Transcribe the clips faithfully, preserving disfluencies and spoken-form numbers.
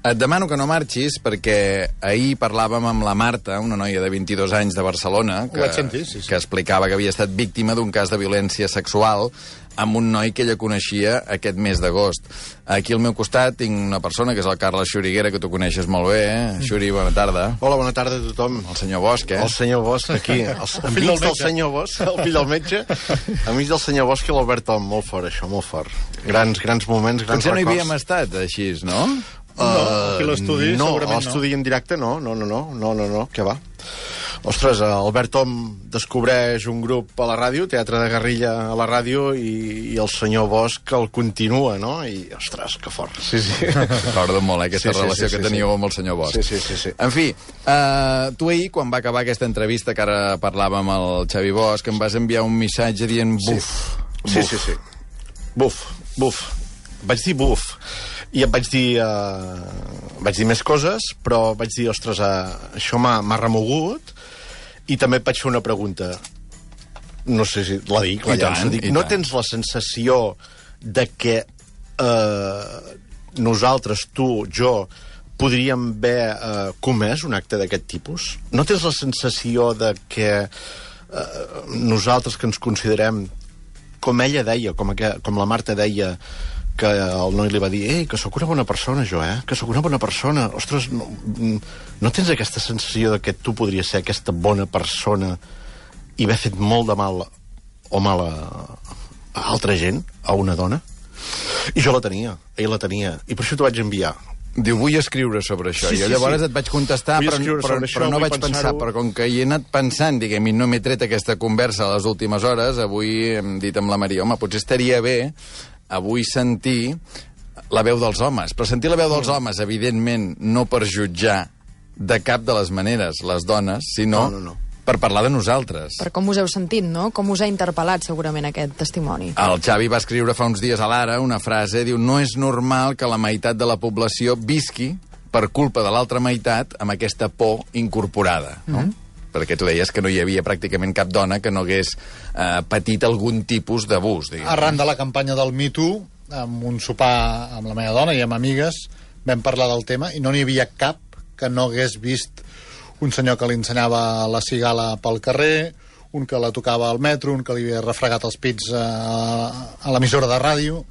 Et demano que no marxis perquè ahir parlàvem amb la Marta, una noia de vint-i-dos anys de Barcelona, que, sentir, sí, sí. que explicava que havia estat víctima d'un cas de violència sexual amb un noi que ella coneixia aquest mes d'agost. Aquí al meu costat tinc una persona, que és el Carles Xuriguera, que tu coneixes molt bé. Eh? Xuri, bona tarda. Hola, bona tarda a tothom. El senyor Bosch, eh? El senyor Bosch, aquí. El, el fill del, del senyor Bosch, el fill del metge. Amics del senyor Bosch i l'Albert Tom. Molt fort, això, molt fort. Grans, grans moments, grans Potser records. no hi havíem estat, així, no? Uh, no, aquí l'estudi no, segurament no. l'estudi en directe no, no, no, no, no, no, no, què va? Ostres, Albert Tom descobreix un grup a la ràdio, Teatre de Guerrilla a la ràdio, i, i el senyor Bosch el continua, no? I, ostres, que fort. Sí, sí. Recordo molt, eh, aquesta sí, sí, relació sí, sí, que teníeu sí. amb el senyor Bosch. Sí, sí, sí, sí. En fi, uh, tu ahir, quan va acabar aquesta entrevista, que ara parlàvem amb el Xavi Bosch, em vas enviar un missatge dient buf. Sí, sí, sí, sí. Buf, buf. Vaig dir buf. I em vaig dir... Uh, vaig dir més coses, però vaig dir, ostres, uh, això m'ha remogut, i també et vaig fer una pregunta. No sé si la dic, la llanço. Dic, no tens la sensació de que uh, nosaltres, tu, jo, podríem haver uh, comès un acte d'aquest tipus? No tens la sensació de que uh, nosaltres, que ens considerem, com ella deia, com, aqu com la Marta deia, que el noi li va dir, ei, que sóc una bona persona, jo, eh? Que sóc una bona persona. Ostres, no, no tens aquesta sensació de que tu podries ser aquesta bona persona i haver fet molt de mal o mal a, a altra gent, a una dona? I jo la tenia, ell la tenia, i per això t'ho vaig enviar. Diu, vull escriure sobre això. Sí, I sí, llavors sí. et vaig contestar, Vull però, però, però, però no vaig pensar, però com que hi he anat pensant, diguem, i no m'he tret aquesta conversa a les últimes hores, avui hem dit amb la Maria, home, potser estaria bé avui sentir la veu dels homes. Però sentir la veu dels homes, evidentment, no per jutjar de cap de les maneres les dones, sinó no, no, no. per parlar de nosaltres. Per com us heu sentit, no? Com us ha interpel·lat, segurament, aquest testimoni. El Xavi va escriure fa uns dies a l'Ara una frase, diu, no és normal que la meitat de la població visqui per culpa de l'altra meitat amb aquesta por incorporada, no? Mm-hmm. Perquè tu deies que no hi havia pràcticament cap dona que no hagués eh, patit algun tipus d'abús. Arran de la campanya del Me Too, amb un sopar amb la meva dona i amb amigues, vam parlar del tema i no n'hi havia cap que no hagués vist un senyor que li ensenyava la cigala pel carrer, un que la tocava al metro, un que li havia refregat els pits a, a l'emissora de ràdio,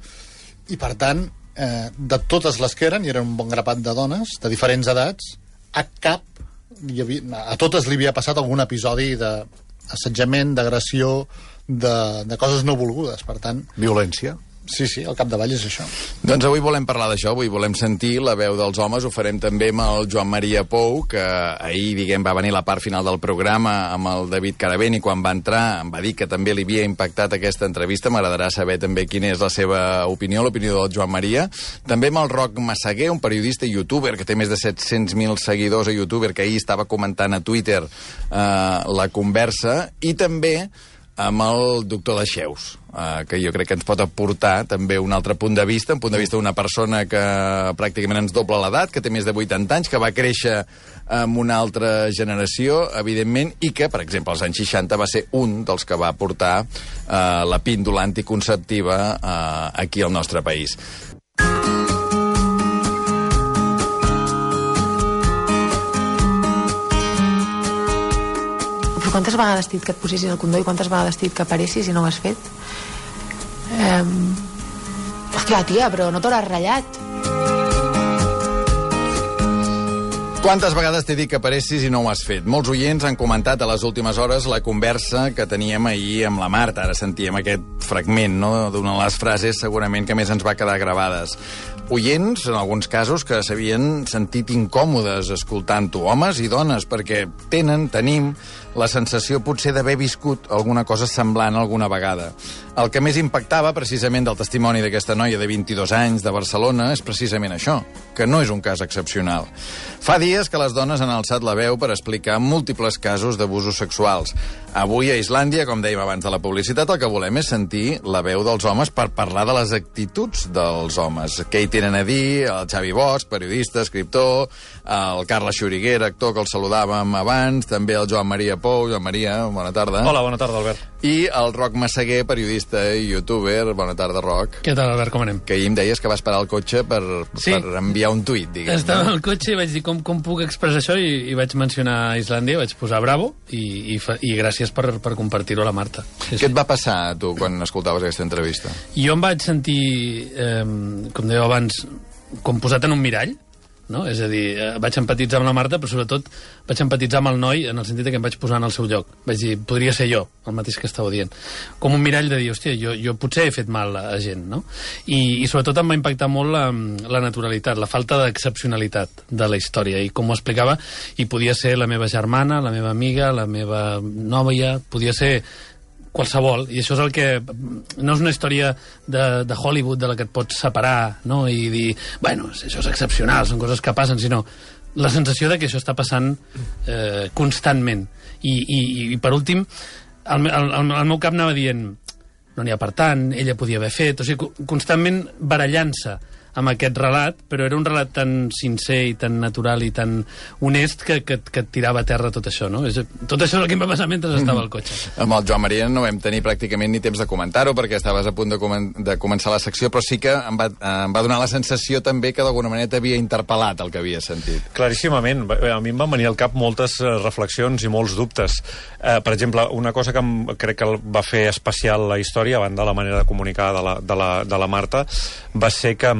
i per tant, eh, de totes les que eren, i eren un bon grapat de dones, de diferents edats, a cap hi havia, a totes li havia passat algun episodi d'assetjament, d'agressió, de, de coses no volgudes, per tant... Violència. Sí, sí, al capdavall és això. Doncs avui volem parlar d'això, avui volem sentir la veu dels homes, ho farem també amb el Joan Maria Pou, que ahir, diguem, va venir la part final del programa amb el David Caravent, i quan va entrar em va dir que també li havia impactat aquesta entrevista. M'agradarà saber també quina és la seva opinió, l'opinió del Joan Maria. També amb el Roc Massaguer, un periodista i youtuber que té més de set-cents mil seguidors a youtuber, que ahir estava comentant a Twitter eh, la conversa, i també amb el doctor Dexeus, eh, que jo crec que ens pot aportar també un altre punt de vista, un punt de vista d'una persona que pràcticament ens dobla l'edat, que té més de vuitanta anys, que va créixer amb una altra generació, evidentment, i que, per exemple, als anys seixanta va ser un dels que va portar eh, la píndola anticonceptiva eh, aquí al nostre país. Quantes vegades t'he dit que et posessis el condó i quantes vegades t'he dit que aparessis i no ho has fet? Eh... Hòstia, tia, però no t'hauràs ratllat. Quantes vegades t'he dit que aparessis i no ho has fet? Molts oients han comentat a les últimes hores la conversa que teníem ahir amb la Marta. Ara sentíem aquest fragment, no?, d'una de les frases segurament que més ens va quedar gravades. Oients, en alguns casos, que s'havien sentit incòmodes escoltant-ho, homes i dones, perquè tenen, tenim, la sensació potser d'haver viscut alguna cosa semblant alguna vegada. El que més impactava, precisament, del testimoni d'aquesta noia de vint-i-dos anys de Barcelona és precisament això, que no és un cas excepcional. Fa dies que les dones han alçat la veu per explicar múltiples casos d'abusos sexuals. Avui a Islàndia, com dèiem abans de la publicitat, el que volem és sentir la veu dels homes per parlar de les actituds dels homes. Katie tenen a dir, el Xavi Bosch, periodista, escriptor, el Carles Xuriguera, actor, que el saludàvem abans, també el Joan Maria Pou. Joan Maria, bona tarda. Hola, bona tarda, Albert. I el Roc Massaguer, periodista i youtuber. Bona tarda, Roc. Què tal, Albert, com anem? Que ahir em deies que vas parar el cotxe per, sí. per enviar un tuit, diguem. Estava al cotxe i vaig dir com, com puc expressar això i, i vaig mencionar Islàndia, vaig posar bravo i, i, fa, i gràcies per, per compartir-ho a la Marta. Sí, Què sí. et va passar a tu quan escoltaves aquesta entrevista? Jo em vaig sentir, eh, com dèieu abans, com posat en un mirall, no? És a dir, vaig empatitzar amb la Marta, però sobretot vaig empatitzar amb el noi en el sentit que em vaig posar en el seu lloc. Vaig dir, podria ser jo, el mateix que estàveu dient. Com un mirall de dir, hòstia, jo, jo potser he fet mal a gent, no? I, i sobretot em va impactar molt la, la naturalitat, la falta d'excepcionalitat de la història. I com ho explicava, i podia ser la meva germana, la meva amiga, la meva nòvia, podia ser qualsevol, i això és el que no és una història de, de Hollywood de la que et pots separar, no?, i dir, bueno, això és excepcional, són coses que passen, sinó la sensació de que això està passant eh, constantment. I, i, i per últim, el, el, el, el meu cap anava dient, no n'hi ha per tant, ella podia haver fet, o sigui, constantment barallant-se amb aquest relat, però era un relat tan sincer i tan natural i tan honest que, que, que et tirava a terra tot això, no? És, tot això és el que em va passar mentre estava al cotxe. Amb el Joan Maria no vam tenir pràcticament ni temps de comentar-ho perquè estaves a punt de, comen de començar la secció, però sí que em va, em va donar la sensació també que d'alguna manera t'havia interpel·lat el que havia sentit. Claríssimament. A mi em van venir al cap moltes reflexions i molts dubtes. Eh, per exemple, una cosa que em, crec que va fer especial la història, a banda de la manera de comunicar de la, de la, de la Marta, va ser que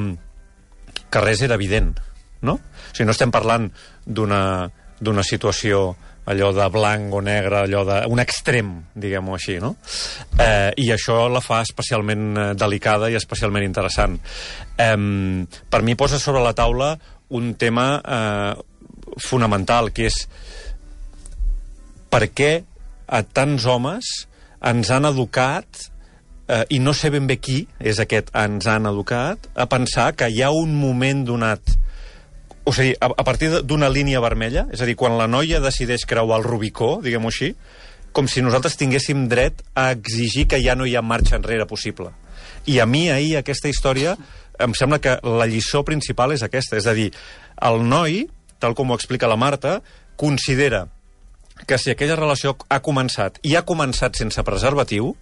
que res era evident, no? O sigui, no estem parlant d'una d'una situació allò de blanc o negre, allò d'un extrem, diguem-ho així, no? Eh, I això la fa especialment delicada i especialment interessant. Eh, per mi posa sobre la taula un tema eh, fonamental, que és per què a tants homes ens han educat Uh, i no sé ben bé qui és aquest ens han educat a pensar que hi ha un moment donat, o sigui, a, a partir d'una línia vermella, és a dir, quan la noia decideix creuar el Rubicó, diguem-ho així, com si nosaltres tinguéssim dret a exigir que ja no hi ha marxa enrere possible. I a mi ahir aquesta història em sembla que la lliçó principal és aquesta, és a dir, el noi, tal com ho explica la Marta, considera que si aquella relació ha començat i ha començat sense preservatiu,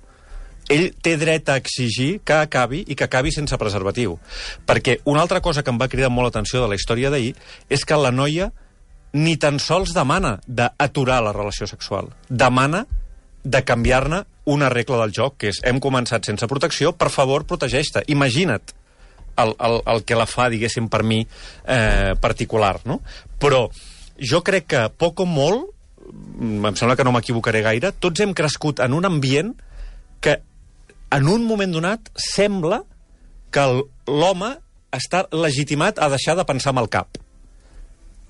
ell té dret a exigir que acabi i que acabi sense preservatiu. Perquè una altra cosa que em va cridar molt l'atenció de la història d'ahir és que la noia ni tan sols demana d'aturar la relació sexual. Demana de canviar-ne una regla del joc, que és hem començat sense protecció, per favor, protegeix-te. Imagina't el, el, el que la fa, diguéssim, per mi, eh, particular, no? Però jo crec que, poc o molt, em sembla que no m'equivocaré gaire, tots hem crescut en un ambient que en un moment donat sembla que l'home està legitimat a deixar de pensar amb el cap.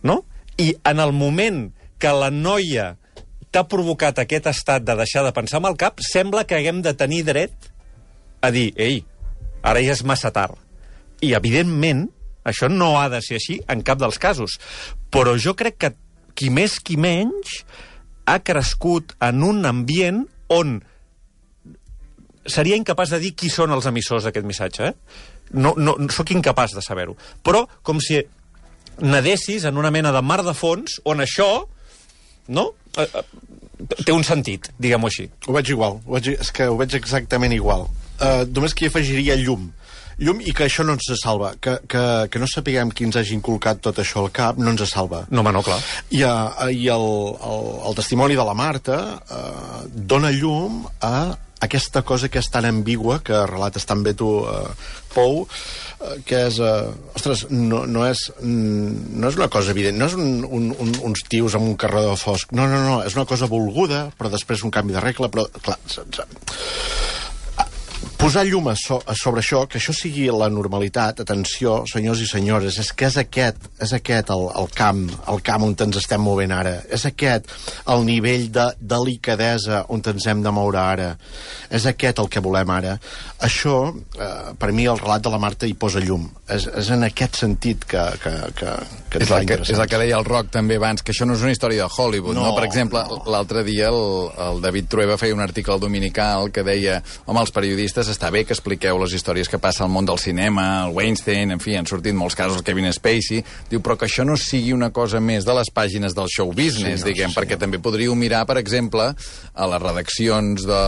No? I en el moment que la noia t'ha provocat aquest estat de deixar de pensar amb el cap, sembla que haguem de tenir dret a dir, ei, ara ja és massa tard. I, evidentment, això no ha de ser així en cap dels casos. Però jo crec que qui més qui menys ha crescut en un ambient on seria incapaç de dir qui són els emissors d'aquest missatge, eh? No, no, soc incapaç de saber-ho. Però com si nedessis en una mena de mar de fons on això, no?, eh, eh, té un sentit, diguem-ho així. Ho veig igual, ho veig, és que ho veig exactament igual. Uh, només que hi afegiria llum. Llum i que això no ens salva. Que, que, que no sapiguem qui ens hagi inculcat tot això al cap no ens salva. No, home, no, clar. I, uh, i el, el, el testimoni de la Marta uh, dona llum a aquesta cosa que és tan ambigua, que relates tan bé tu, uh, Pou, uh, que és... Uh, ostres, no, no, és, no és una cosa evident, no és un, un, un, uns tios amb un carreró fosc, no, no, no, és una cosa volguda, però després un canvi de regla, però, clar, posar llum a, so, a sobre això, que això sigui la normalitat, atenció, senyors i senyores, és que és aquest, és aquest el, el camp, el camp on ens estem movent ara, és aquest el nivell de delicadesa on ens hem de moure ara, és aquest el que volem ara. Això, eh, per mi, el relat de la Marta hi posa llum. És, és en aquest sentit que, que, que, que és, el que, és el que deia el Roc també abans, que això no és una història de Hollywood, no? no? Per exemple, no. L'altre dia el, el David Trueba feia un article al Dominical que deia, home, els periodistes està bé que expliqueu les històries que passa al món del cinema, el Weinstein, en fi, han sortit molts casos, el Kevin Spacey, diu, però que això no sigui una cosa més de les pàgines del show business, sí, diguem, sí, perquè també podríeu mirar, per exemple, a les redaccions de,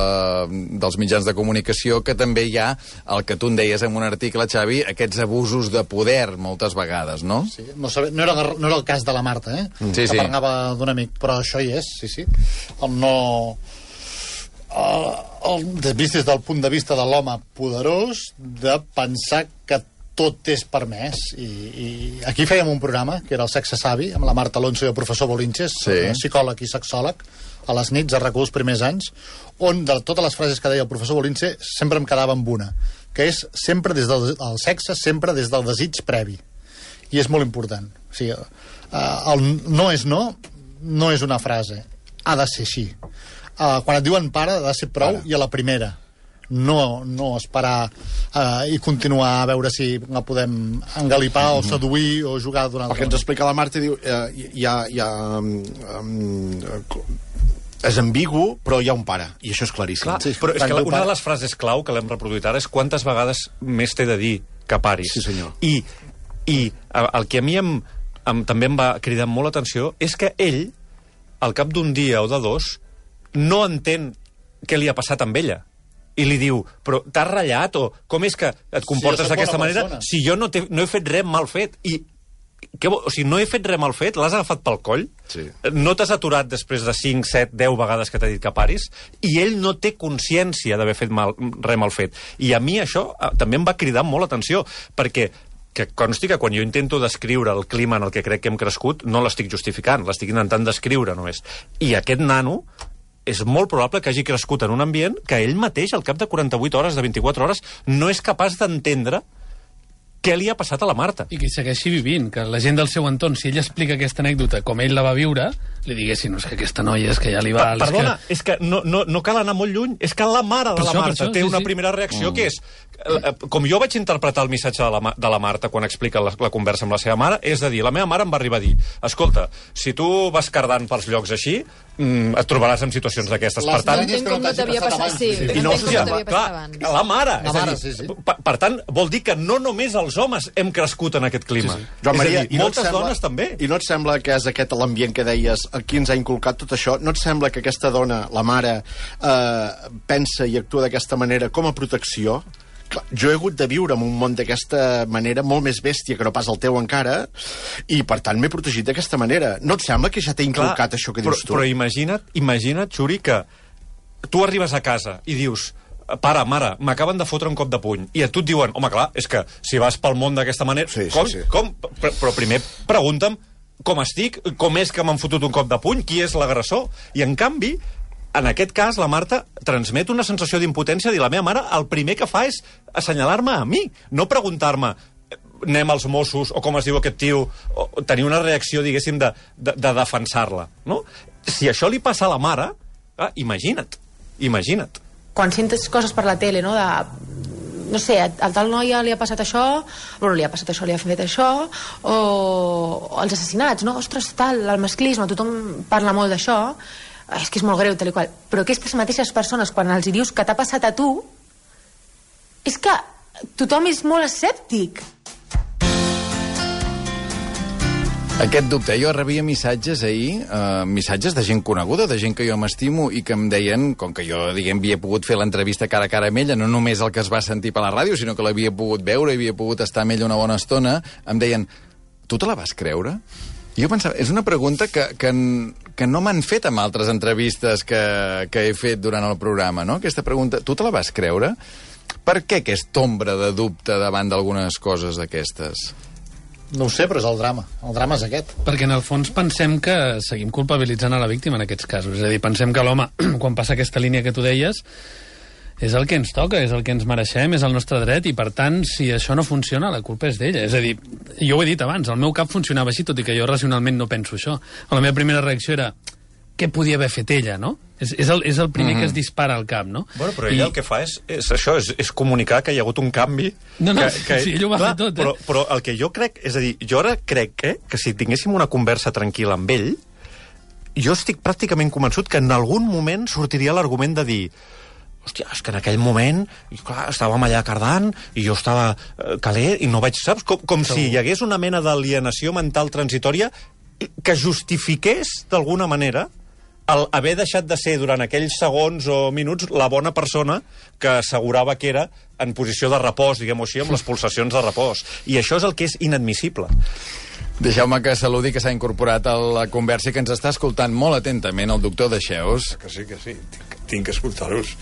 dels mitjans de comunicació, que també hi ha, el que tu en deies en un article, Xavi, aquests abusos de poder, moltes vegades, no? Sí, no, sabe, no, era, no era el cas de la Marta, eh? Sí, que sí. parlava d'un amic, però això hi és, sí, sí. El no... El, el, vist des del punt de vista de l'home poderós, de pensar que tot és permès. I, i aquí fèiem un programa, que era el Sexe Savi, amb la Marta Alonso i el professor Bolinches, sí. psicòleg i sexòleg, a les nits, a RAC u els primers anys, on de totes les frases que deia el professor Bolinches sempre em quedava amb una, que és sempre des del el sexe, sempre des del desig previ. I és molt important. O sigui, el no és no, no és una frase. Ha de ser així. Uh, quan et diuen pare, ha de ser prou, Para. I a la primera. No, no esperar uh, i continuar a veure si la podem engalipar mm -hmm. o seduir o jugar durant... El que ens explica la Marta, diu, eh, hi ha... Hi ha um, um, és ambigu, però hi ha un pare, i això és claríssim. Clar, sí, però és que una de les frases clau que l'hem reproduït ara és quantes vegades més t'he de dir que paris. Sí, senyor. I, i el que a mi em, em, també em va cridar molt l'atenció és que ell, al cap d'un dia o de dos, no entén què li ha passat amb ella. I li diu, però t'has ratllat o com és que et comportes si d'aquesta manera persona. si jo no, no he fet res mal fet? I què, o sigui, no he fet res mal fet, l'has agafat pel coll, sí. no t'has aturat després de cinc, set, deu vegades que t'ha dit que paris, i ell no té consciència d'haver fet mal, res mal fet. I a mi això eh, també em va cridar molt l'atenció, perquè que consti que quan jo intento descriure el clima en el que crec que hem crescut, no l'estic justificant, l'estic intentant descriure només. I aquest nano és molt probable que hagi crescut en un ambient que ell mateix, al cap de quaranta-vuit hores, de vint-i-quatre hores, no és capaç d'entendre què li ha passat a la Marta. I que hi segueixi vivint, que la gent del seu entorn, si ell explica aquesta anècdota com ell la va viure, li diguessin, no, és que aquesta noia és que ja li va... Pa, perdona, és que, és que no, no, no cal anar molt lluny, és que la mare de per la això, Marta això, té sí, una sí. primera reacció mm. que és... Com jo vaig interpretar el missatge de la, de la Marta quan explica la, la conversa amb la seva mare, és a dir, la meva mare em va arribar a dir, escolta, si tu vas cardant pels llocs així, mm, et trobaràs en situacions d'aquestes. Per tant, entenc com no t'havia passat, sí, I no, entenc com no t'havia passat clar, abans. la mare, la és mare a dir, sí, sí. Per, per tant, vol dir que no només els homes hem crescut en aquest clima. Sí, sí. Joan Maria, és a dir, moltes no sembla, dones també. I no et sembla que és aquest l'ambient que deies, qui ens ha inculcat tot això, no et sembla que aquesta dona, la mare, eh, pensa i actua d'aquesta manera com a protecció? Clar, jo he hagut de viure en un món d'aquesta manera molt més bèstia que no pas el teu encara, i per tant m'he protegit d'aquesta manera. No et sembla que ja t'he inculcat Clar, això que dius però, tu? Però imagina't, imagina't, Xuri, que tu arribes a casa i dius, pare, mare, m'acaben de fotre un cop de puny, i a tu et diuen, home, clar, és que si vas pel món d'aquesta manera... Sí, com? sí, sí. com? Però, però primer pregunta'm com estic, com és que m'han fotut un cop de puny, qui és l'agressor? I en canvi, en aquest cas, la Marta transmet una sensació d'impotència, dir, la meva mare el primer que fa és assenyalar-me a mi, no preguntar-me anem als Mossos, o com es diu aquest tio, o tenir una reacció, diguéssim, de, de, de defensar-la, no? Si això li passa a la mare, ah, imagina't, imagina't. Quan sentes coses per la tele, no?, de... no sé, al tal noia li ha passat això, bueno, li ha passat això, li ha fet això, o, o els assassinats, no? Ostres, tal, el masclisme, tothom parla molt d'això, és que és molt greu, tal i qual. Però aquestes mateixes persones, quan els hi dius que t'ha passat a tu, és que tothom és molt escèptic. Aquest dubte. Jo rebia missatges ahir, eh, missatges de gent coneguda, de gent que jo m'estimo i que em deien, com que jo, diguem, havia pogut fer l'entrevista cara a cara amb ella, no només el que es va sentir per la ràdio, sinó que l'havia pogut veure i havia pogut estar amb ella una bona estona, em deien, tu te la vas creure? Jo pensava, és una pregunta que, que, que no m'han fet amb altres entrevistes que, que he fet durant el programa, no? Aquesta pregunta, tu te la vas creure? Per què aquesta ombra de dubte davant d'algunes coses d'aquestes? No ho sé, però és el drama. El drama és aquest. Perquè en el fons pensem que seguim culpabilitzant a la víctima en aquests casos. És a dir, pensem que l'home, quan passa aquesta línia que tu deies, és el que ens toca, és el que ens mereixem, és el nostre dret, i per tant, si això no funciona, la culpa és d'ella. És a dir, jo ho he dit abans, el meu cap funcionava així, tot i que jo racionalment no penso això. La meva primera reacció era, què podia haver fet ella, no? És, és, el, és el primer mm-hmm. que es dispara al cap, no? Bueno, però ella I... el que fa és, és això, és, és comunicar que hi ha hagut un canvi... No, no, que, que, sí, ell ho va clar, fer tot, eh? Però, però el que jo crec, és a dir, jo ara crec que, que si tinguéssim una conversa tranquil·la amb ell, jo estic pràcticament convençut que en algun moment sortiria l'argument de dir hòstia, és que en aquell moment, i clar, estàvem allà cardant, i jo estava eh, calent, i no vaig, saps? Com, com si hi hagués una mena d'alienació mental transitòria que justifiqués, d'alguna manera, el haver deixat de ser durant aquells segons o minuts la bona persona que assegurava que era en posició de repòs, diguem-ho així, amb les pulsacions de repòs. I això és el que és inadmissible. Deixeu-me que saludi, que s'ha incorporat a la conversa i que ens està escoltant molt atentament el doctor Dexeus. Que sí, que sí, tinc, tinc que escoltar-vos.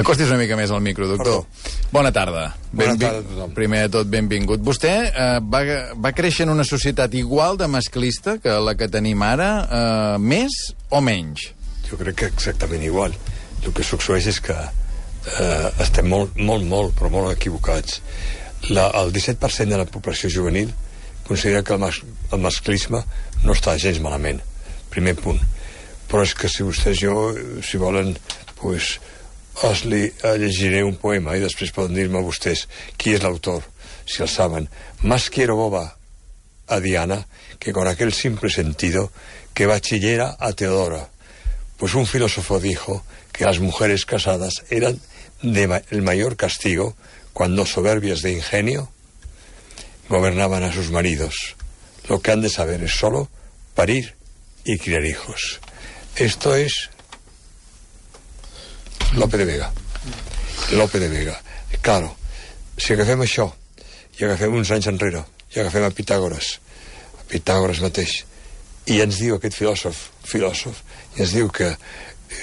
Acostis una mica més al micro, doctor. Perdó. Bona tarda. Bona Benvi... tarda a tothom. Primer de tot, benvingut. Vostè eh, va, va créixer en una societat igual de masclista que la que tenim ara, eh, més o menys? Jo crec que exactament igual. El que succeeix és que eh, estem molt, molt, molt, però molt equivocats. La, el disset per cent de la població juvenil considera que el, mas, el masclisme no està gens malament. Primer punt. Però és que si vostès jo, si volen, pues, els li, llegiré un poema i després poden dir-me vostès qui és l'autor, si el saben. Más quiero boba a Diana que con aquel simple sentido que bachillera a Teodora. Pues un filósofo dijo que las mujeres casadas eran de ma el mayor castigo cuando soberbias de ingenio gobernaban a sus maridos. Lo que han de saber es solo parir y criar hijos. Esto es Lope de Vega. Lope de Vega. Claro, si agafem això i agafem uns anys enrere i agafem a Pitàgores, a Pitàgores mateix, i ens diu aquest filòsof, filòsof, i ens diu que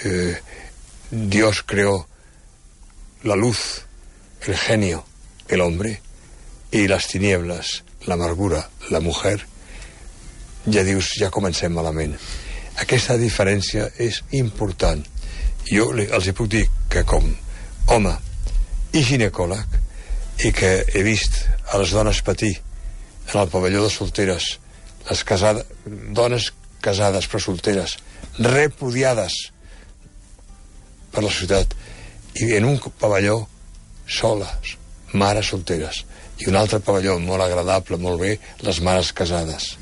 eh, Dios creó la luz, el genio, el hombre, i les tinieblas, l'amargura, la mujer, ja dius, ja comencem malament. Aquesta diferència és important. Jo els hi puc dir que com home i ginecòleg, i que he vist a les dones patir en el pavelló de solteres, les casades, dones casades però solteres, repudiades per la societat, i en un pavelló soles, mares solteres, i un altre pavelló molt agradable, molt bé, les mares casades.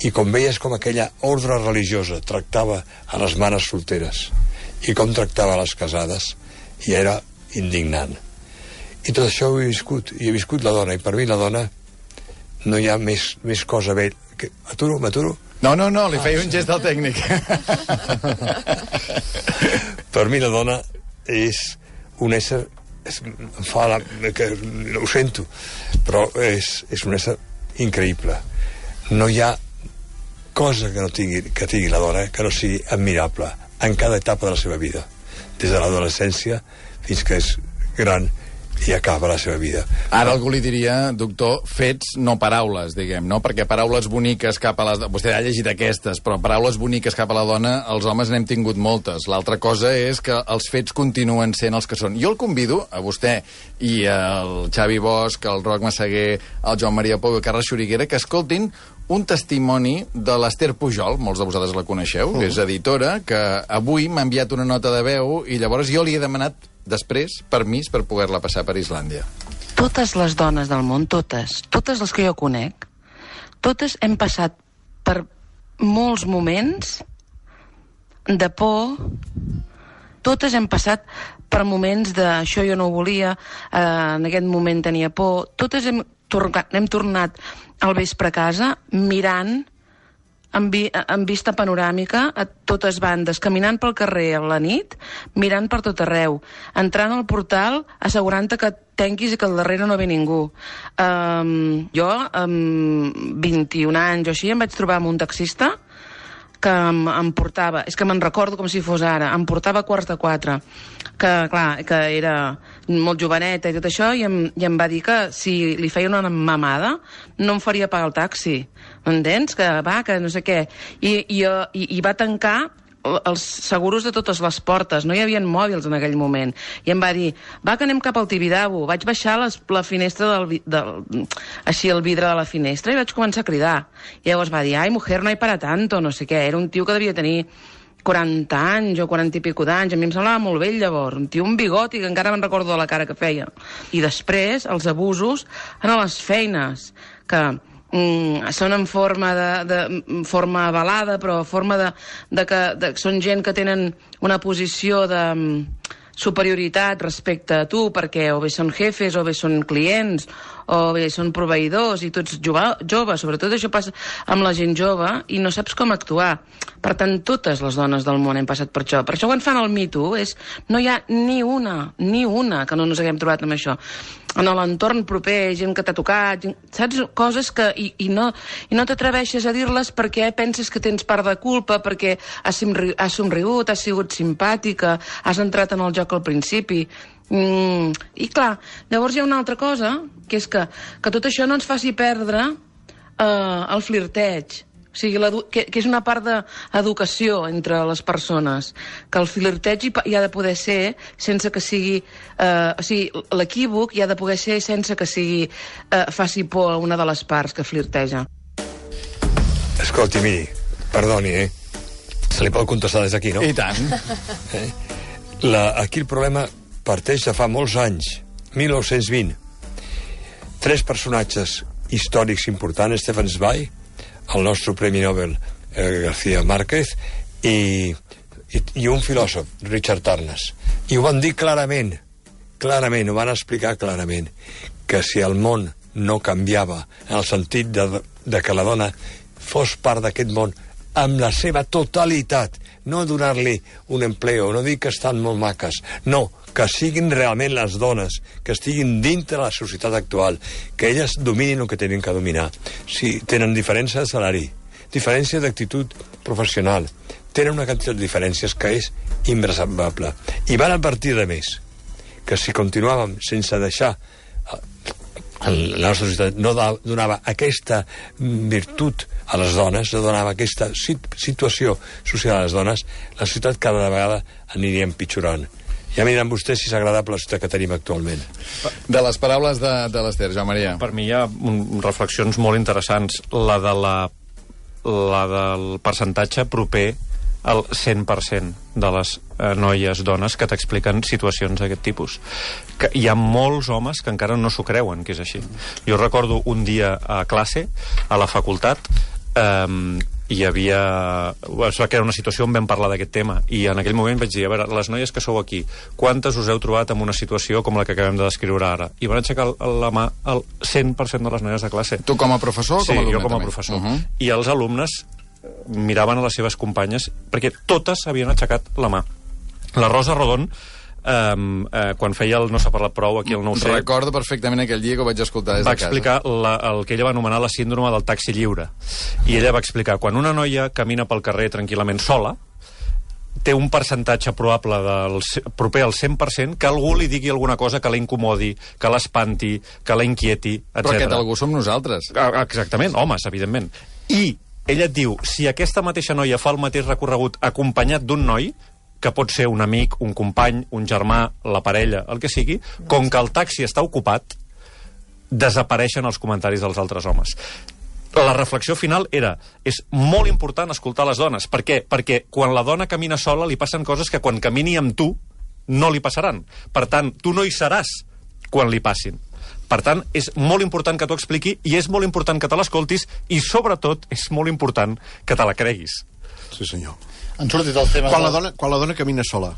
I com veies com aquella ordre religiosa tractava a les mares solteres i com tractava a les casades, i era indignant. I tot això ho he viscut, i he viscut la dona, i per mi la dona no hi ha més, més cosa bé. Que... M'aturo, m'aturo? No, no, no, li feia un gest al tècnic. Per mi la dona és un ésser, és, em fa la, que, ho sento, però és, és un ésser increïble. No hi ha cosa que no tingui, que tingui la dona que no sigui admirable en cada etapa de la seva vida, des de l'adolescència fins que és gran i acaba la seva vida. Ara algú li diria, doctor, fets, no paraules, diguem, no? Perquè paraules boniques cap a les... Vostè ha llegit aquestes, però paraules boniques cap a la dona, els homes n'hem tingut moltes. L'altra cosa és que els fets continuen sent els que són. Jo el convido, a vostè i al Xavi Bosch, al Roc Massaguer, al Joan Maria Pou i al Carles Xuriguera, que escoltin un testimoni de l'Ester Pujol, molts de vosaltres la coneixeu, que és editora, que avui m'ha enviat una nota de veu i llavors jo li he demanat després permís per poder-la passar per Islàndia. Totes les dones del món, totes, totes les que jo conec, totes hem passat per molts moments de por, totes hem passat per moments de això jo no ho volia, eh, en aquest moment tenia por, totes hem tornat, hem tornat al vespre a casa mirant amb, vi, amb vista panoràmica a totes bandes, caminant pel carrer a la nit, mirant per tot arreu, entrant al portal, assegurant-te que tanquis i que al darrere no ve ningú. Um, jo, amb vint-i-un anys o així, em vaig trobar amb un taxista que em, em portava, és que me'n recordo com si fos ara, em portava a quarts de quatre, que clar, que era molt joveneta i tot això, i em, i em va dir que si li feia una mamada no em faria pagar el taxi, m'entens? Que va, que no sé què, i, i, i, i va tancar els seguros de totes les portes, no hi havia mòbils en aquell moment, i em va dir, va que anem cap al Tibidabo. Vaig baixar les, la finestra del, del, així el vidre de la finestra i vaig començar a cridar, i llavors va dir, ai mujer, no hay para tanto, no sé què, era un tio que devia tenir quaranta anys o quaranta i pico d'anys, a mi em semblava molt vell llavors, un tio, un bigoti, que encara me'n recordo de la cara que feia. I després els abusos en les feines, que mm, són en forma de, de forma avalada, però forma de, de que de, són gent que tenen una posició de, superioritat respecte a tu, perquè o bé són jefes, o bé són clients, o bé són proveïdors, i tu ets jove, jove, sobretot això passa amb la gent jove, i no saps com actuar. Per tant, totes les dones del món hem passat per això. Per això quan fan el Me Too, és, no hi ha ni una, ni una que no ens haguem trobat amb això. En l'entorn proper, gent que t'ha tocat, saps? Coses que... I, i no, i no t'atreveixes a dir-les perquè penses que tens part de culpa, perquè has, has somrigut, has sigut simpàtica, has entrat en el joc al principi. Mm, I clar, llavors hi ha una altra cosa, que és que, que tot això no ens faci perdre eh, el flirteig. O sigui, que, que és una part d'educació entre les persones, que el flirteig hi, hi ha de poder ser sense que sigui... Eh, o sigui, l'equívoc hi ha de poder ser sense que sigui eh, faci por a una de les parts que flirteja. Escolti, miri, perdoni, eh? Se li pot contestar des d'aquí, no? I tant. Eh? La, aquí el problema parteix de fa molts anys, mil nou-cents vint. Tres personatges històrics importants, Stefan Zweig, el nostre Premi Nobel eh, García Márquez i, i, i un filòsof, Richard Tarnas. I ho van dir clarament, clarament, ho van explicar clarament, que si el món no canviava en el sentit de, de que la dona fos part d'aquest món amb la seva totalitat, no donar-li un empleo, no dir que estan molt maques, no, que siguin realment les dones, que estiguin dintre la societat actual, que elles dominin el que tenen que dominar. Si tenen diferència de salari, diferència d'actitud professional, tenen una quantitat de diferències que és inversable. I van advertir de més, que si continuàvem sense deixar la nostra societat no donava aquesta virtut a les dones, no donava aquesta situació social a les dones, la societat cada vegada aniria empitjorant. Ja miren vostès si és agradable la societat que tenim actualment. De les paraules de, de l'Ester, Joan Maria. Per mi hi ha un, reflexions molt interessants. La, de la, la del percentatge proper al cent per cent de les eh, noies, dones, que t'expliquen situacions d'aquest tipus. Que hi ha molts homes que encara no s'ho creuen que és així. Jo recordo un dia a classe, a la facultat, eh, hi havia... Es va crear una situació on vam parlar d'aquest tema, i en aquell moment vaig dir, a veure, les noies que sou aquí, quantes us heu trobat en una situació com la que acabem de descriure ara? I van aixecar la mà el cent per cent de les noies de classe. Tu com a professor o sí, com a alumne? Sí, jo com a també? professor. Uh -huh. I els alumnes miraven a les seves companyes perquè totes havien aixecat la mà. La Rosa Rodon, Um, uh, quan feia el No s'ha parlat prou aquí al nou C, recordo perfectament aquell dia que ho vaig escoltar des de va casa. explicar la, el que ella va anomenar la síndrome del taxi lliure. I ella va explicar, quan una noia camina pel carrer tranquil·lament sola, té un percentatge probable del, proper al cent per cent que algú li digui alguna cosa que la incomodi, que l'espanti, que la inquieti, etcètera. Però aquest algú som nosaltres. Exactament, homes, evidentment. I ella et diu, si aquesta mateixa noia fa el mateix recorregut acompanyat d'un noi, que pot ser un amic, un company, un germà, la parella, el que sigui, com que el taxi està ocupat, desapareixen els comentaris dels altres homes. La reflexió final era, és molt important escoltar les dones. Per què? Perquè quan la dona camina sola li passen coses que quan camini amb tu no li passaran. Per tant, tu no hi seràs quan li passin. Per tant, és molt important que t'ho expliqui i és molt important que te l'escoltis i, sobretot, és molt important que te la creguis. Sí, senyor. Han sortit els temes... Quan la dona, quan la dona camina sola.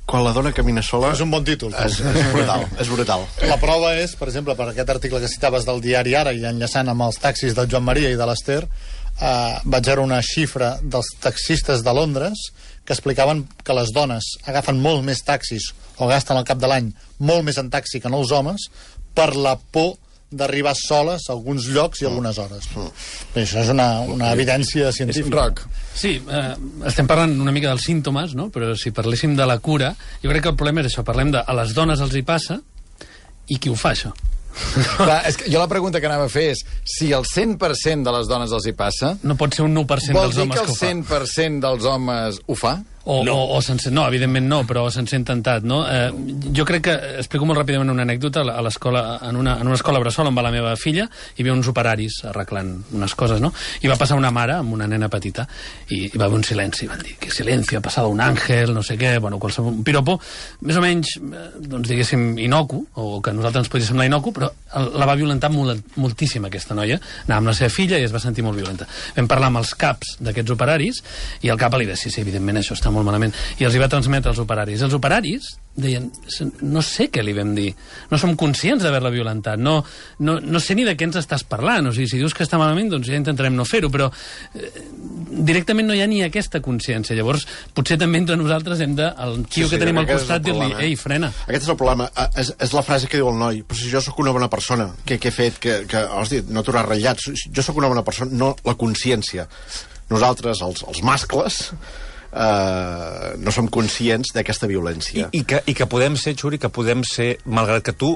Quan la dona camina sola... És un bon títol. És, és brutal, és brutal. La prova és, per exemple, per aquest article que citaves del diari Ara i enllaçant amb els taxis del Joan Maria i de l'Ester, eh, vaig veure una xifra dels taxistes de Londres que explicaven que les dones agafen molt més taxis o gasten al cap de l'any molt més en taxi que no els homes per la por d'arribar soles a alguns llocs i algunes hores. Mm. Això és una, una evidència científica. Roc. Sí, eh, estem parlant una mica dels símptomes, no? Però si parléssim de la cura, jo crec que el problema és això, parlem de a les dones els hi passa i qui ho fa, això? Clar, és que jo la pregunta que anava a fer és si el cent per cent de les dones els hi passa... No pot ser un nou per cent dels homes que ho fa. Vol dir que el cent per cent dels homes ho fa? O, no. o, o se'n sent, no, evidentment no, però se'n sent tentat, no? Eh, jo crec que, explico molt ràpidament una anècdota, a l'escola, en una, en una escola bressol on va la meva filla, hi havia uns operaris arreglant unes coses, no? I va passar una mare amb una nena petita i hi va haver un silenci, van dir, que silenci, ha passat un àngel, no sé què, bueno, qualsevol, un piropo, més o menys, doncs diguéssim, inocu, o que a nosaltres ens podria semblar inocu, però la va violentar molt, moltíssim aquesta noia, anava amb la seva filla i es va sentir molt violenta. Vam parlar amb els caps d'aquests operaris i el cap li deia, sí, sí, evidentment això està molt malament, i els hi va transmetre als operaris. Els operaris deien, no sé què li vam dir, no som conscients d'haver-la violentat, no, no, no sé ni de què ens estàs parlant, o sigui, si dius que està malament, doncs ja intentarem no fer-ho, però eh, directament no hi ha ni aquesta consciència. Llavors, potser també entre nosaltres hem de, el tio sí, sí, que tenim al costat, dir-li, ei, frena. Aquest és el problema, és, és la frase que diu el noi, però si jo sóc una bona persona, què, què he fet, que, que hosti, no t'hauràs ratllat, jo sóc una bona persona, no la consciència. Nosaltres, els, els mascles, Uh, no som conscients d'aquesta violència. I, i, que, I que podem ser, Xuri, que podem ser, malgrat que tu,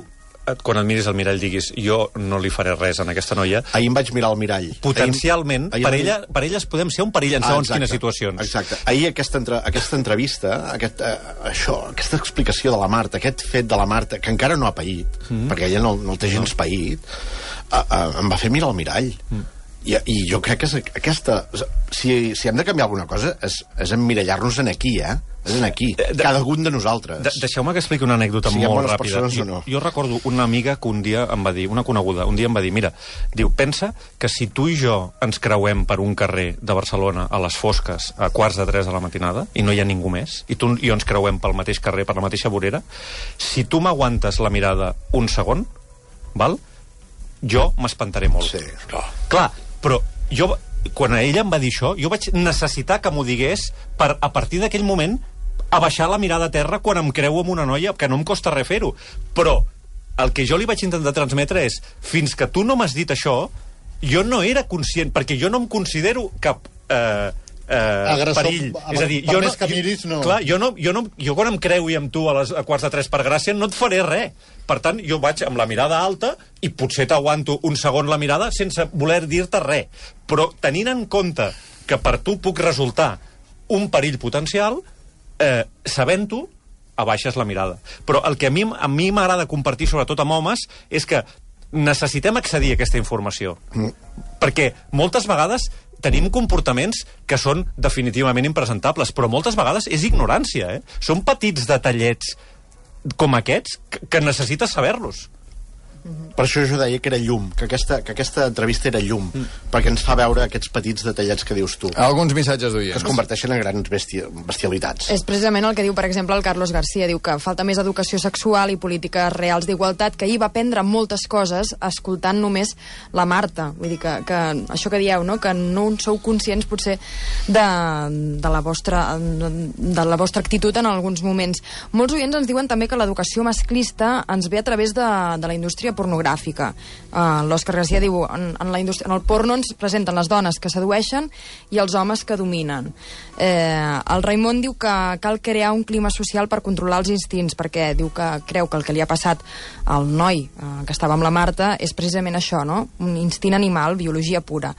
quan et miris al mirall, diguis, jo no li faré res a aquesta noia. Ahir em vaig mirar al mirall. Potencialment, ahir, per, ahir... ella, per elles podem ser un perill en segons ah, quines situacions. Exacte. Ahir aquesta, entre, aquesta entrevista, aquest, uh, això, aquesta explicació de la Marta, aquest fet de la Marta, que encara no ha paït, mm-hmm. perquè ella no, no el té gens no. paït, uh, uh, em va fer mirar al mirall. Mm. I, i jo crec que és aquesta... Si, si hem de canviar alguna cosa és, és emmirallar-nos en aquí, eh? És en aquí, de, cada un de nosaltres. De, Deixeu-me que expliqui una anècdota si molt ràpida. Jo, no. jo recordo una amiga que un dia em va dir, una coneguda, un dia em va dir, mira, diu, pensa que si tu i jo ens creuem per un carrer de Barcelona a les fosques a quarts de tres de la matinada i no hi ha ningú més, i tu i jo ens creuem pel mateix carrer, per la mateixa vorera, si tu m'aguantes la mirada un segon, val? Jo m'espantaré molt. Sí, clar. Clar, però jo, quan ella em va dir això, jo vaig necessitar que m'ho digués per, a partir d'aquell moment, abaixar la mirada a terra quan em creu amb una noia, que no em costa res fer-ho. Però el que jo li vaig intentar transmetre és, fins que tu no m'has dit això, jo no era conscient, perquè jo no em considero cap... Eh, Eh, Agressor, perill. Amb, és a dir, per jo més no, que miris, no... Clar, jo, no, jo, no, jo quan em creui amb tu a les a quarts de tres per gràcia no et faré res. Per tant, jo vaig amb la mirada alta i potser t'aguanto un segon la mirada sense voler dir-te res. Però tenint en compte que per tu puc resultar un perill potencial, eh, sabent-ho, abaixes la mirada. Però el que a mi a mi m'agrada compartir, sobretot amb homes, és que necessitem accedir a aquesta informació. Mm. Perquè moltes vegades tenim comportaments que són definitivament impresentables, però moltes vegades és ignorància, eh? Són petits detallets com aquests que, que necessites saber-los. Per això jo deia que era llum, que aquesta, que aquesta entrevista era llum, mm. perquè ens fa veure aquests petits detallets que dius tu. Alguns missatges d'oients. Que es converteixen en grans besti bestialitats. És precisament el que diu, per exemple, el Carlos García. Diu que falta més educació sexual i polítiques reals d'igualtat, que ahir va aprendre moltes coses escoltant només la Marta. Vull dir que, que això que dieu, no? Que no sou conscients, potser, de, de, la vostra, de la vostra actitud en alguns moments. Molts oients ens diuen també que l'educació masclista ens ve a través de, de la indústria pornogràfica. Uh, L'Òscar García diu, en, en, la indústria, en el porno ens presenten les dones que sedueixen i els homes que dominen. Eh, el Raimon diu que cal crear un clima social per controlar els instints, perquè diu que creu que el que li ha passat al noi uh, que estava amb la Marta és precisament això, no? Un instint animal, biologia pura.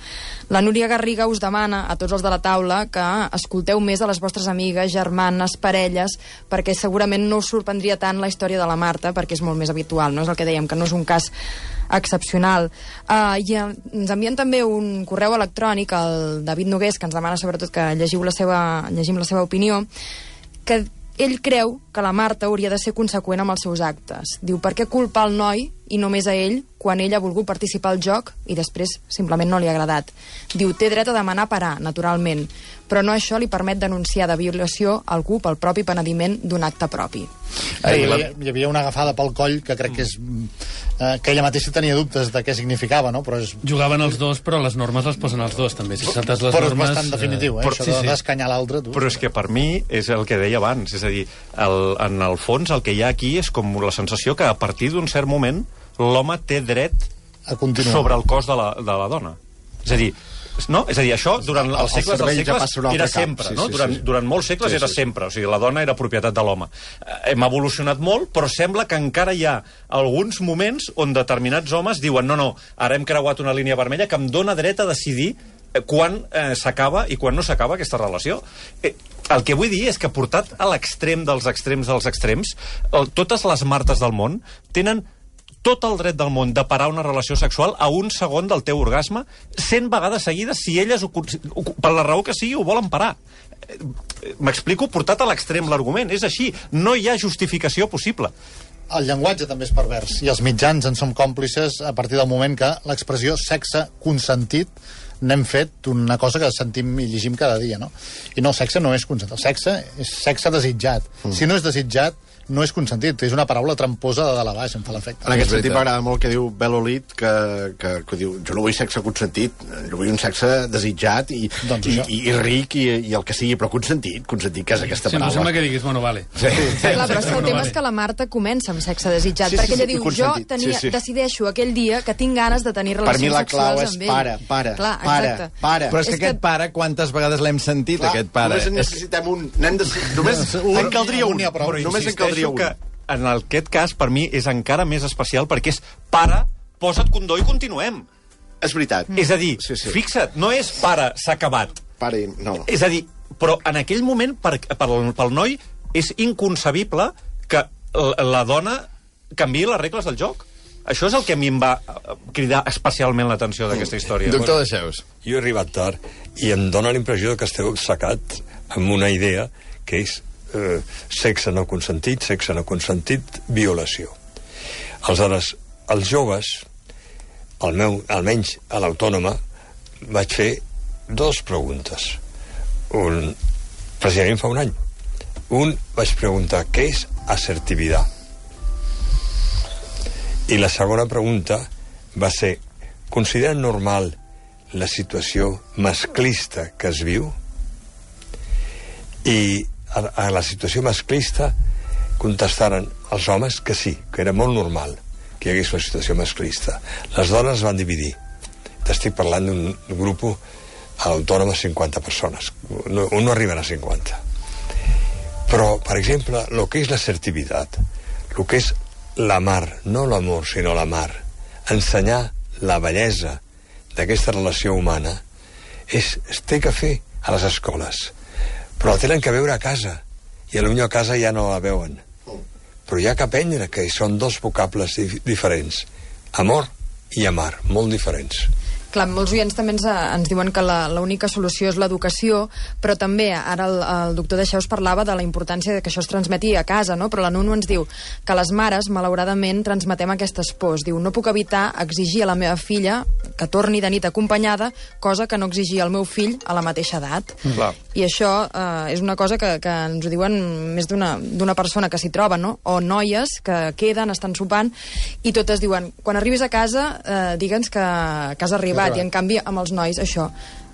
La Núria Garriga us demana a tots els de la taula que escolteu més a les vostres amigues, germanes, parelles, perquè segurament no us sorprendria tant la història de la Marta, perquè és molt més habitual, no? És el que dèiem, que no és un cas excepcional. Uh, i uh, ens envien també un correu electrònic al David Nogués, que ens demana sobretot que llegiu la seva, llegim la seva opinió, que ell creu que la Marta hauria de ser conseqüent amb els seus actes. Diu, per què culpar el noi i només a ell quan ell ha volgut participar al joc i després simplement no li ha agradat? Diu, té dret a demanar parar, naturalment, però no això li permet denunciar de violació algú pel propi penediment d'un acte propi. Hi havia, hi havia una agafada pel coll que crec que és eh, que ella mateixa tenia dubtes de què significava, no? Però és... Jugaven els dos, però les normes les posen els dos, també. Si saltes les però normes... és bastant definitiu, eh? Però, això sí, de sí. d'escanyar l'altre. Però és que per mi és el que deia abans, és a dir, el, en el fons el que hi ha aquí és com la sensació que a partir d'un cert moment l'home té dret a continuar sobre el cos de la, de la dona. És a dir, no? És a dir, això durant el, els segles dels segles ja era sempre, sí, no? Sí, durant, sí. durant molts segles sí, era sí. sempre, o sigui, la dona era propietat de l'home. Hem evolucionat molt, però sembla que encara hi ha alguns moments on determinats homes diuen no, no, ara hem creuat una línia vermella que em dona dret a decidir quan eh, s'acaba i quan no s'acaba aquesta relació. Eh, el que vull dir és que portat a l'extrem dels extrems dels extrems, el, totes les Martes del món tenen tot el dret del món de parar una relació sexual a un segon del teu orgasme, cent vegades seguides, si elles, ho, ho, per la raó que sigui, ho volen parar. M'explico? Portat a l'extrem l'argument. És així. No hi ha justificació possible. El llenguatge també és pervers, i els mitjans en som còmplices a partir del moment que l'expressió sexe consentit n'hem fet una cosa que sentim i llegim cada dia, no? I no, el sexe no és consentit. El sexe és sexe desitjat. Mm. Si no és desitjat, no és consentit. És una paraula tramposa de dalt a baix, em fa l'efecte. En aquest sentit m'agrada molt que diu Belolit, que, que, que diu, jo no vull sexe consentit, jo vull un sexe desitjat i, doncs i, i, i ric i, i el que sigui, però consentit, consentit, que és aquesta sí, paraula. Sí, em sembla que diguis, bueno, vale. Sí. Sí. Sí, clar, però és que el tema és que la Marta comença amb sexe desitjat, Sí, sí, perquè ella sí, diu, i jo consentit. tenia, Sí, sí. decideixo aquell dia que tinc ganes de tenir Per relacions mi la clau sexuals és amb ell. para, para, clar, para, exacte. para. Però és que És que- aquest pare, quantes vegades l'hem sentit, Clar, aquest pare? Només en necessitem un... N'hem de... Només un, en caldria un un. n'hi ha prou. Però només en insisteixo caldria un. que en aquest cas, per mi, és encara més especial perquè és pare, posa't condó i continuem. És veritat. Mm. És a dir, Sí, sí. fixa't, no és pare, s'ha acabat. Pare, no. És a dir, però en aquell moment, per, per, pel noi, és inconcebible que la, la dona canviï les regles del joc. Això és el que a mi em va eh, cridar especialment l'atenció d'aquesta història. Doctor Deixeus. Jo he arribat tard i em dóna la impressió que esteu sacat amb una idea que és eh, sexe no consentit, sexe no consentit, violació. Aleshores, els joves, el meu, almenys a l'Autònoma, vaig fer dues preguntes. Un, precisament fa un any. Un, vaig preguntar què és assertivitat. I la segona pregunta va ser, consideren normal la situació masclista que es viu? I a, a la situació masclista contestaren els homes que sí, que era molt normal que hi hagués una situació masclista. Les dones es van dividir. T'estic parlant d'un grup a l'Autònoma cinquanta persones. No, no arriben a cinquanta. Però, per exemple, el que és l'assertivitat, el que és l'amar, no l'amor, sinó l'amar, ensenyar la bellesa d'aquesta relació humana, és, es té que fer a les escoles. Però la tenen que veure a casa, i potser a casa ja no la veuen. Però hi ha que aprendre que són dos vocables dif diferents. Amor i amar, molt diferents. Clar, molts oients també ens, ens diuen que l'única solució és l'educació, però també ara el, el doctor Deixeus parlava de la importància de que això es transmeti a casa, no? Però la Nuno ens diu que les mares, malauradament, transmetem aquestes pors. Diu, no puc evitar exigir a la meva filla que torni de nit acompanyada, cosa que no exigia al meu fill a la mateixa edat. Mm. I això eh, és una cosa que, que ens ho diuen més d'una persona que s'hi troba, no? O noies que queden, estan sopant, i totes diuen, quan arribis a casa, eh, digue'ns que, que has arribat. I en canvi amb els nois això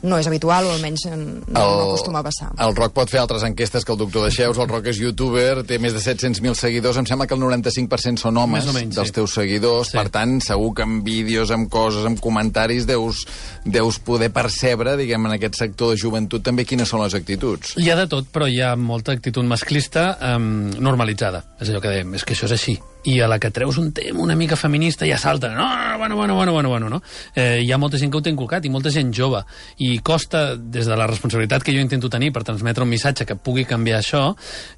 no és habitual, o almenys no, no acostuma a passar. El Roc pot fer altres enquestes que el doctor Deixeus. El Roc és youtuber, té més de set-cents mil seguidors. Em sembla que el noranta-cinc per cent són homes menys, dels sí. teus seguidors. Sí. Per tant, segur que amb vídeos, amb coses, amb comentaris deus, deus poder percebre, diguem, en aquest sector de joventut també quines són les actituds. Hi ha de tot, però hi ha molta actitud masclista um, normalitzada. És allò que dèiem, és que això és així. I a la que treus un tema una mica feminista ja salten. No, no, bueno, bueno, bueno, bueno, bueno, no? Eh, hi ha molta gent que ho té inculcat i molta gent jove. I costa, des de la responsabilitat que jo intento tenir per transmetre un missatge que pugui canviar això,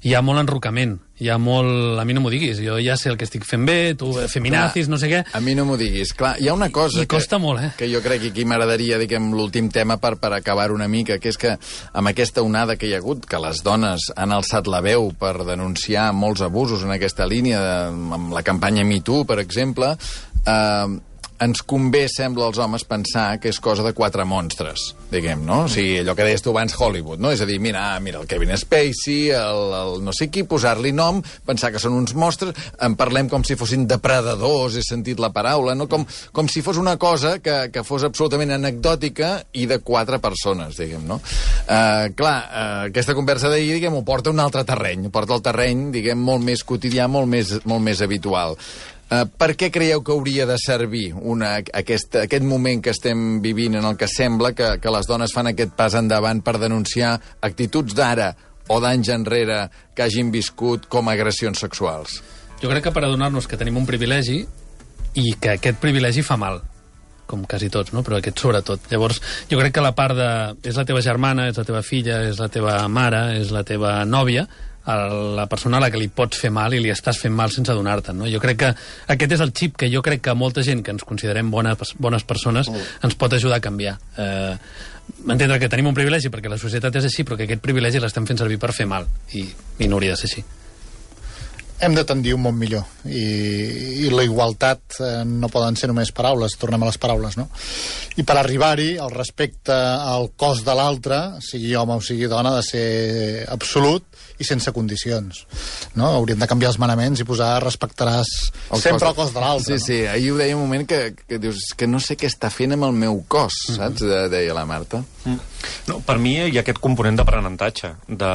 hi ha molt enrocament. Hi ha molt... A mi no m'ho diguis, jo ja sé el que estic fent bé, tu feminazis, no sé què... A mi no m'ho diguis. Clar, hi ha una cosa... I costa que, molt, eh? Que jo crec que aquí m'agradaria, diguem, l'últim tema per, per acabar una mica, que és que amb aquesta onada que hi ha hagut, que les dones han alçat la veu per denunciar molts abusos en aquesta línia, de, amb la campanya Me Too, per exemple, eh, ens convé, sembla, als homes pensar que és cosa de quatre monstres, diguem, no? O sigui, allò que deies tu abans, Hollywood, no? És a dir, mira, mira el Kevin Spacey, el, el no sé qui, posar-li nom, pensar que són uns monstres, en parlem com si fossin depredadors, he sentit la paraula, no? Com, com si fos una cosa que, que fos absolutament anecdòtica i de quatre persones, diguem, no? Uh, clar, uh, aquesta conversa d'ahir, diguem, ho porta a un altre terreny, ho porta al terreny, diguem, molt més quotidià, molt més, molt més habitual. Uh, per què creieu que hauria de servir una, aquest, aquest moment que estem vivint en el que sembla que, que les dones fan aquest pas endavant per denunciar actituds d'ara o d'anys enrere que hagin viscut com a agressions sexuals? Jo crec que per adonar-nos que tenim un privilegi i que aquest privilegi fa mal, com quasi tots, no? Però aquest sobretot. Llavors, jo crec que la part de... és la teva germana, és la teva filla, és la teva mare, és la teva nòvia, a la persona a la que li pots fer mal i li estàs fent mal sense adonar-te'n, no? Jo crec que aquest és el xip que jo crec que molta gent que ens considerem bones, bones persones mm. ens pot ajudar a canviar. Eh, entendre que tenim un privilegi perquè la societat és així, però que aquest privilegi l'estem fent servir per fer mal, i, i no hauria de ser així. hem de tendir un món millor i, i la igualtat eh, no poden ser només paraules, tornem a les paraules, no? I per arribar-hi el respecte al cos de l'altre, sigui home o sigui dona, ha de ser absolut i sense condicions, no? Hauríem de canviar els manaments i posar respectaràs el sempre cos... el cos de l'altre. Sí, sí, no? Ahir ho deia un moment que, que dius que no sé què està fent amb el meu cos, mm-hmm. saps? De, deia la Marta. Mm. No, per mi hi ha aquest component d'aprenentatge, de,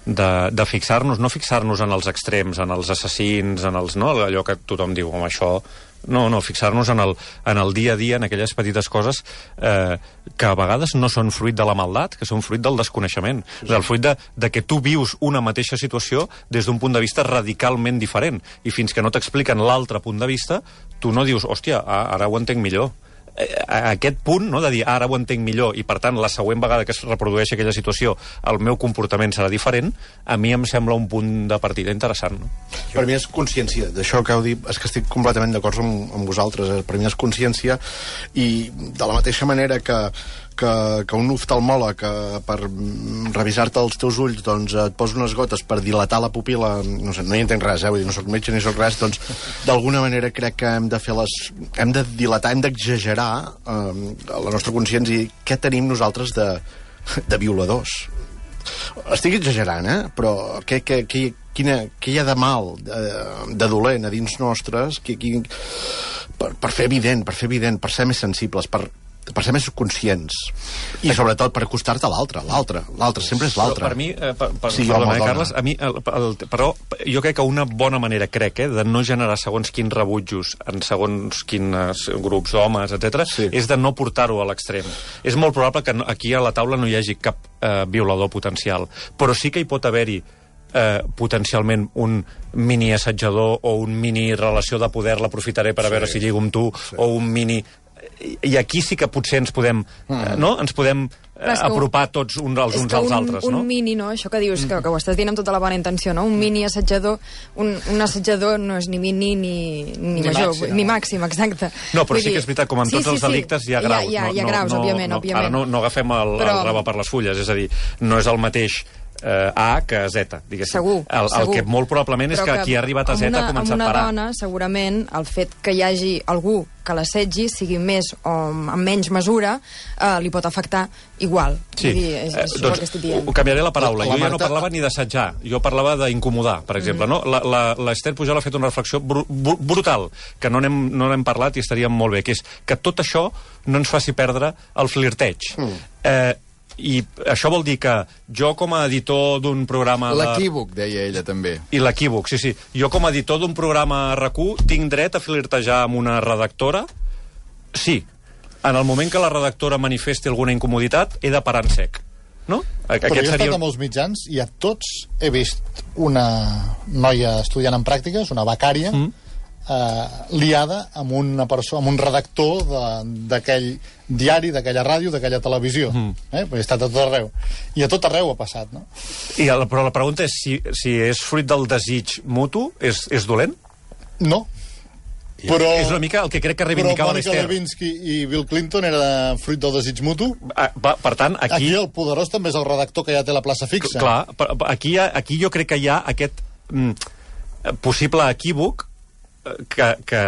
de, de fixar-nos, no fixar-nos en els extrems, en els assassins, en els, no, allò que tothom diu, home, això... No, no, fixar-nos en el, en el dia a dia, en aquelles petites coses eh, que a vegades no són fruit de la maldat, que són fruit del desconeixement. Sí. El fruit de, de que tu vius una mateixa situació des d'un punt de vista radicalment diferent. I fins que no t'expliquen l'altre punt de vista, tu no dius, hòstia, ara ho entenc millor. A aquest punt, no, de dir ara ho entenc millor i per tant la següent vegada que es reprodueixi aquella situació el meu comportament serà diferent, a mi em sembla un punt de partida interessant, no? Per mi és consciència, d'això que heu dit, és que estic completament d'acord amb, amb vosaltres, per mi és consciència, i de la mateixa manera que que, que un oftalmòleg que per revisar-te els teus ulls doncs et posa unes gotes per dilatar la pupil·la, no sé, no hi entenc res, eh? Vull dir, no soc metge ni soc res, doncs d'alguna manera crec que hem de fer les... hem de dilatar, hem d'exagerar eh, la nostra consciència i què tenim nosaltres de, de violadors. Estic exagerant, eh? Però què, què, què, quina, què hi ha de mal, de, de dolent a dins nostres que, que, per, per fer evident, per fer evident, per ser més sensibles, per per ser més conscients i sobretot per acostar-te a l'altre, l'altre, l'altre, sempre és l'altre. Per mi, eh, per, per, sí, perdona, eh, Carles, a mi, el, el, però jo crec que una bona manera, crec, eh, de no generar segons quins rebutjos en segons quins grups d'homes, etcètera, sí. és de no portar-ho a l'extrem. És molt probable que no, aquí a la taula no hi hagi cap eh, violador potencial, però sí que hi pot haver-hi eh, potencialment un mini assetjador o un mini relació de poder, l'aprofitaré per a sí. veure si lligo amb tu, sí. o un mini... I aquí sí que potser ens podem, mm. no? Ens podem eh, apropar tots uns als uns als un, altres, un no? Un mini, no? Això que dius, que, que ho estàs dient amb tota la bona intenció, no? Un mini assetjador, un, un assetjador no és ni mini ni, ni, ni major, màxim, ni màxim, exacte. No, però Vull sí dir... que és veritat, com en tots sí, els delictes sí. hi ha graus. Hi ha, hi ha, hi ha no, graus, no, òbviament, no, òbviament. Ara no, no agafem el, però... el rave per les fulles, és a dir, no és el mateix Uh, A que Z, diguéssim. Segur, el, el segur. Que molt probablement és que, que qui ha arribat a Z una, ha començat a per A. Amb una dona, segurament, el fet que hi hagi algú que l'assetgi, sigui més o amb menys mesura, uh, li pot afectar igual. Sí. Vull dir, és, és eh, doncs, el que estic dient. Canviaré la paraula. La, la jo Marta... ja no parlava ni d'assetjar, jo parlava d'incomodar, per exemple. Mm. No? L'Ester Pujol ha fet una reflexió br br brutal, que no n'hem no n'hem parlat i estaria molt bé, que és que tot això no ens faci perdre el flirteig. Mm. Eh, I això vol dir que jo com a editor d'un programa... L'equívoc, de... deia ella també. I l'equívoc, sí, sí. Jo com a editor d'un programa a R A C U tinc dret a flirtejar amb una redactora? Sí. En el moment que la redactora manifesti alguna incomoditat, he de parar en sec. No? Aquest Però jo he estat seria... a molts mitjans i a tots he vist una noia estudiant en pràctiques, una becària, mm. eh, liada amb, una perso amb un redactor d'aquell diari, d'aquella ràdio, d'aquella televisió. Mm. Eh? Perquè he estat a tot arreu. I a tot arreu ha passat, no? I el, però la pregunta és si, si és fruit del desig mutu, és, és dolent? No. Però, és una mica el que crec que reivindicava l'Ester. Però Mònica Lewinsky i Bill Clinton era fruit del desig mutu. Ah, va, per tant, aquí... Aquí el poderós també és el redactor que ja té la plaça fixa. Clar, aquí, aquí jo crec que hi ha aquest mm, possible equívoc que, que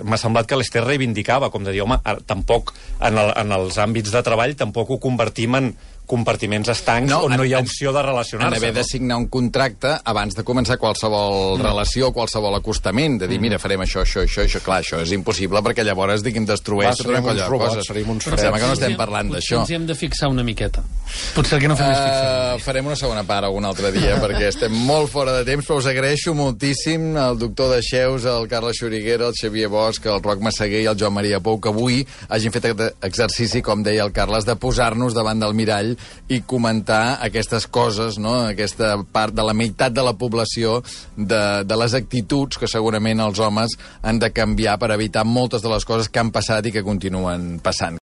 m'ha semblat que l'Ester reivindicava, com de dir, home, tampoc en, el, en els àmbits de treball tampoc ho convertim en compartiments estancs no, on en, no hi ha opció de relacionar-se. En haver no? de signar un contracte abans de començar qualsevol mm. relació, qualsevol acostament, de dir, mm. mira, farem això, això, això, això. Clar, això és impossible perquè llavors, diguem, destrueix tota una colla de coses. Serem uns freds. Sembla que no estem parlant d'això. Potser ens hi hem de fixar una miqueta. Potser que no fem uh, més fixar. Farem una segona part algun altre dia, perquè estem molt fora de temps, però us agraeixo moltíssim el doctor Dexeus, el Carles Xuriguera, el Xavier Bosch, el Roc Massaguer i el Joan Maria Pou, que avui hagin fet aquest exercici, com deia el Carles, de posar-nos davant del mirall i comentar aquestes coses, no? Aquesta part de la meitat de la població, de, de les actituds que segurament els homes han de canviar per evitar moltes de les coses que han passat i que continuen passant.